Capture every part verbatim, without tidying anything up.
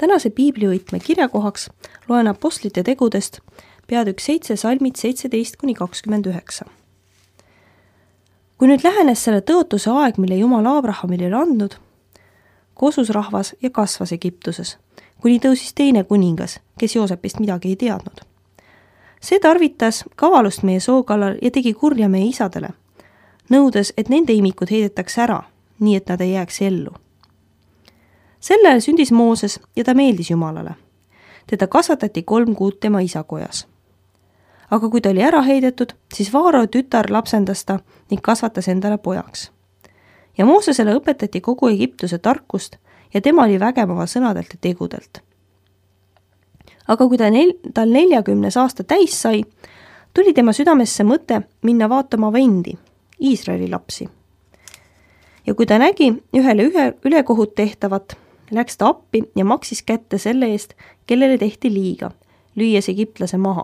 Tänase piiblivõtme kirjakohaks loen apostlite tegudest peatükk seitse salmid seitseteist kuni kakskümmend üheksa. Kui nüüd lähenes selle tõotuse aeg, mille Jumal Abrahamile oli andnud, kosus rahvas ja kasvas Egiptuses, kuni tõusis teine kuningas, kes Joosepist midagi ei teadnud. See tarvitas kavalust meie soo kallal ja tegi kurja meie isadele, nõudes, et nende imikud heidetaks ära, nii et nad ei jääks ellu. Sel ajal sündis Mooses ja ta meeldis Jumalale. Teda kasvatati kolm kuud tema isakojas. Aga kui ta oli ära heidetud, siis Vaaro tütar lapsendas ta ning kasvatas endale pojaks. Ja Moosesele õpetati kogu Egiptuse tarkust ja tema oli vägev oma sõnadelt ja tegudelt. Aga kui ta nel- tal neljakümnes aasta täis sai, tuli tema südamesse mõte minna vaatama vendi, Iisraeli lapsi. Ja kui ta nägi ühele ühe ülekohut tehtavat, läks ta appi ja maksis kätte selle eest, kellele tehti liiga, lüües egiptlase maha.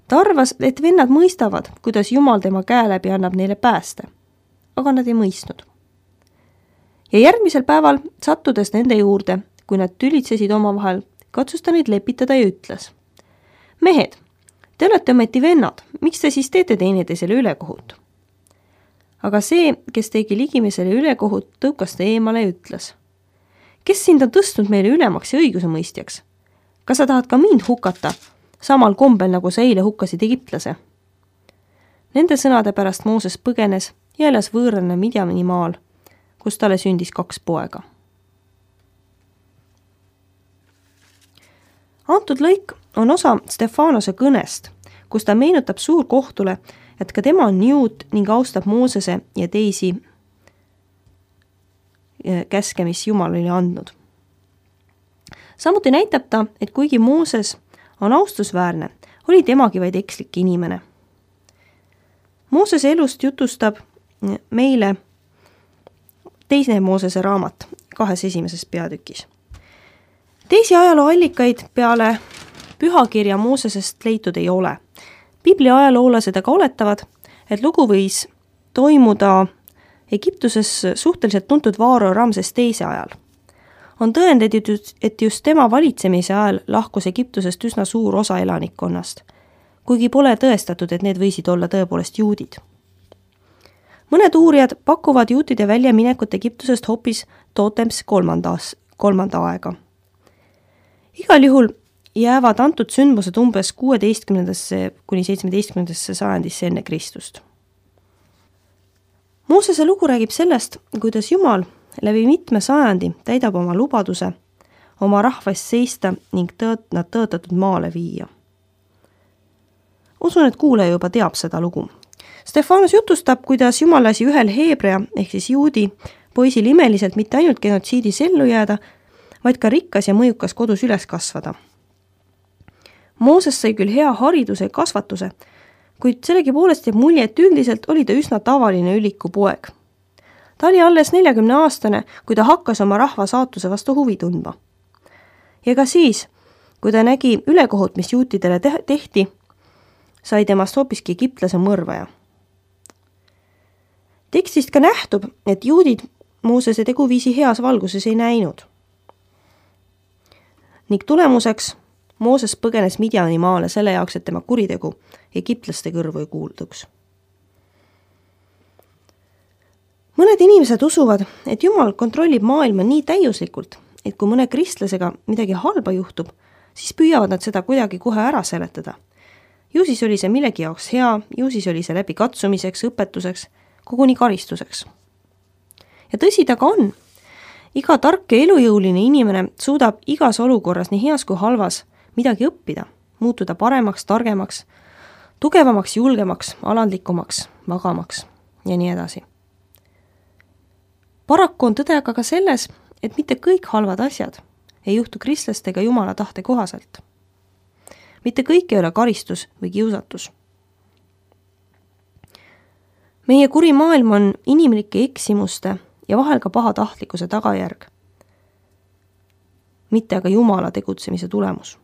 Ta arvas, et vennad mõistavad, kuidas Jumal tema käe läbi annab neile pääste, aga nad ei mõistnud. Ja järgmisel päeval, sattudes nende juurde, kui nad tülitsesid omavahel, katsus ta neid lepitada ja ütles: Mehed, te olete ometi vennad, miks te siis teete teineteisele ülekohut? Aga see, kes tegi ligimesele ülekohut, tõukas ta eemale ja ütles: Kes sind on tõstnud meile ülemaks ja õigusemõistjaks? Kas sa tahad ka mind hukata, samal kombel nagu sa eile hukkasid egiptlase? Nende sõnade pärast Mooses põgenes ja elas võõrana Midjani maal, kus talle sündis kaks poega. Antud lõik on osa Stefanose kõnest, kus ta meenutab suurkohtule, et ka tema on juut ning austab Moosese ja teisi käske, mis Jumal oli andnud. Samuti näitab ta, et kuigi Mooses on austusväärne, oli temagi vaid ekslik inimene. Moosese elust jutustab meile teine Moosese raamat kahes esimeses peatükis. Teisi ajalooallikaid peale pühakirja Moosesest leitud ei ole. Piibli ajaloolased aga oletavad, et lugu võis toimuda Egiptuses suhteliselt tuntud Vaaro Ramses teise ajal. On tõendid, et just tema valitsemise ajal lahkus Egiptusest üsna suur osa elanikkonnast, kuigi pole tõestatud, et need võisid olla tõepoolest juudid. Mõned uurijad pakuvad juutide väljaminekut Egiptusest hoopis Totems kolmandas, kolmanda aega. Igal juhul jäävad antud sündmused umbes kuueteistkümnendasse kuni seitsmeteistkümnendasse sajandisse enne Kristust. Moosese lugu räägib sellest, kuidas Jumal läbi mitme sajandi täidab oma lubaduse oma rahvast seista ning tõot, nad tõotatud maale viia. Usun, et kuulaja juba teab seda lugu. Stefanus jutustab, kuidas Jumal lasi ühel heebrea ehk siis juudi poisil imeliselt mitte ainult genotsiidis ellu jääda, vaid ka rikkas ja mõjukas kodus üles kasvada. Mooses sai küll hea hariduse ja kasvatuse, kuid sellegi poolest jääb mulje, et üldiselt oli ta üsna tavaline üliku poeg. Ta oli alles neljakümne aastane, kui ta hakkas oma rahva saatuse vastu huvi tundma. Ja ka siis, kui ta nägi ülekohut, mis juutidele te- tehti, sai temast hoopiski egiptlase mõrvaja. Tekstist ka nähtub, et juudid Moosese teguviisi heas valguses ei näinud. Ning tulemuseks Mooses põgenes Midjani maale selle jaoks, et tema kuritegu egiptlaste kõrvu ei kuulduks. Mõned inimesed usuvad, et Jumal kontrollib maailma nii täiuslikult, et kui mõne kristlasega midagi halba juhtub, siis püüavad nad seda kuidagi kohe ära seletada. Ju siis oli see millegi jaoks hea, ju siis oli see läbi katsumiseks, õpetuseks, koguni karistuseks. Ja tõsi ta ka on. Iga tark ja elujõuline inimene suudab igas olukorras, nii heas kui halvas, midagi õppida, muutuda paremaks, targemaks, tugevamaks, julgemaks, alandlikumaks, vagamaks ja nii edasi. Paraku on tõde aga ka selles, et mitte kõik halvad asjad ei juhtu kristlastega Jumala tahte kohaselt. Mitte kõik ei ole karistus või kiusatus. Meie kuri maailm on inimlike eksimuste ja vahel ka pahatahtlikkuse tagajärg, mitte aga Jumala tegutsemise tulemus.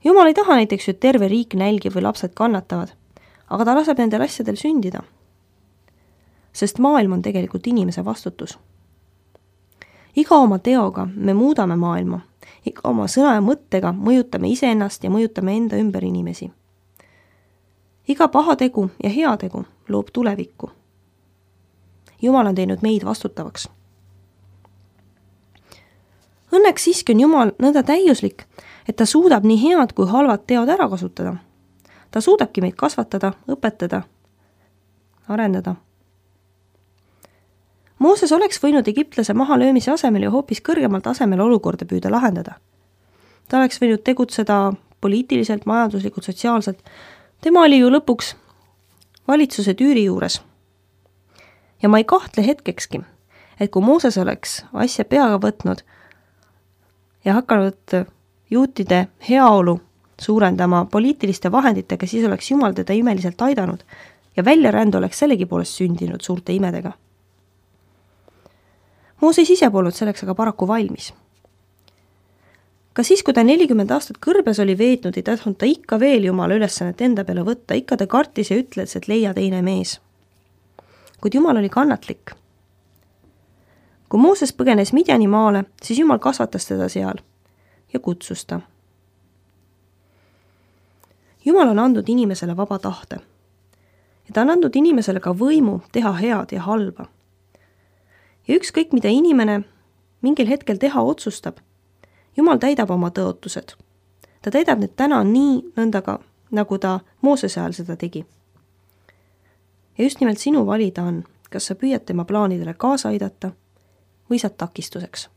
Jumal ei taha näiteks, et terve riik nälgib või lapsed kannatavad, aga ta laseb nendel asjadel sündida. Sest maailm on tegelikult inimese vastutus. iga oma teoga me muudame maailma, iga oma sõna ja mõttega mõjutame iseennast ja mõjutame enda ümber inimesi. Iga paha tegu ja hea tegu loob tulevikku. Jumal on teinud meid vastutavaks. Õnneks siiski on Jumal nõnda täiuslik, et ta suudab nii head kui halvad teod ära kasutada. Ta suudabki meid kasvatada, õpetada, arendada. Mooses oleks võinud egiptlase mahalöömise asemel ja hoopis kõrgemal tasemel olukorda püüda lahendada. Ta oleks võinud tegutseda poliitiliselt, majanduslikult, sotsiaalselt. Tema oli ju lõpuks valitsuse tüüri juures. Ja ma ei kahtle hetkekski, et kui Mooses oleks asja peaga võtnud ja hakanud juutide heaolu suurendama poliitiliste vahenditega, siis oleks Jumal teda imeliselt aidanud ja väljarändu oleks sellegi poolest sündinud suurte imedega. Mooses ise polnud selleks aga paraku valmis. Ka siis, kui ta nelikümmend aastat kõrbes oli veetnud, ei tahtnud ta ikka veel Jumala ülesannet enda peale võtta, ikka ta kartis ja ütles, et leia teine mees. Kuid Jumal oli kannatlik. Kui Mooses põgenes Midjani maale, siis Jumal kasvatas teda seal ja kutsus ta. Jumal on andnud inimesele vaba tahte ja ta on andnud inimesele ka võimu teha head ja halba. Ja ükskõik, mida inimene mingil hetkel teha otsustab, Jumal täidab oma tõotused. Ta täidab need täna nii nõndaga, nagu ta Moosese ajal seda tegi. Ja just nimelt sinu valida on, kas sa püüad tema plaanidele kaasa aidata või saad takistuseks.